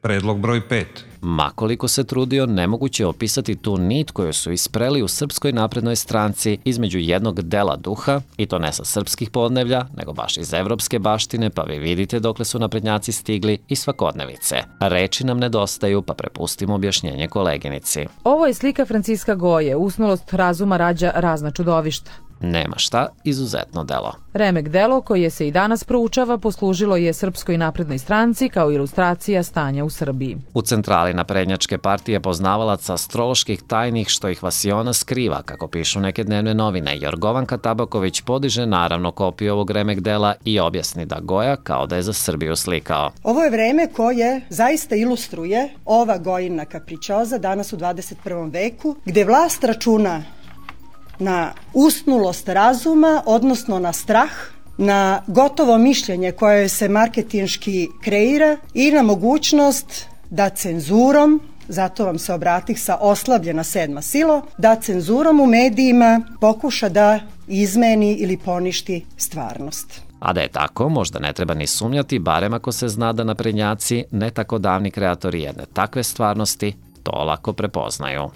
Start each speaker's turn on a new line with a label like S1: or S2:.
S1: Predlog broj 5.
S2: Makoliko se trudio, nemoguće je opisati tu nit koju su ispreli u Srpskoj naprednoj stranci između jednog dela duha, i to ne sa srpskih podneblja, nego baš iz evropske baštine, pa vi vidite dokle su naprednjaci stigli, i svakodnevice. Reči nam nedostaju, pa prepustimo objašnjenje koleginici.
S3: Ovo je slika Franciska Goje, usnulost razuma rađa razna čudovišta.
S2: Nema šta, izuzetno delo.
S3: Remek delo, koje se i danas proučava, poslužilo je Srpskoj naprednoj stranci kao ilustracija stanja u Srbiji.
S2: U centrali naprednjačke partije poznavalaca astroloških tajnih što ih Vasiona skriva, kako pišu neke dnevne novine, Jorgovanka Tabaković podiže naravno kopiju ovog remek dela i objasni da Goja kao da je za Srbiju slikao.
S4: Ovo je vreme koje zaista ilustruje ova Gojina kapričoza danas u 21. veku, gde vlast računa na usnulost razuma, odnosno na strah, na gotovo mišljenje koje se marketinški kreira i na mogućnost da cenzurom, zato vam se obratih sa oslabljena sedma silo, da cenzurom u medijima pokuša da izmeni ili poništi stvarnost.
S2: A da je tako, možda ne treba ni sumnjati, barem ako se zna da naprednjaci, ne tako davni kreatori jedne takve stvarnosti, to lako prepoznaju.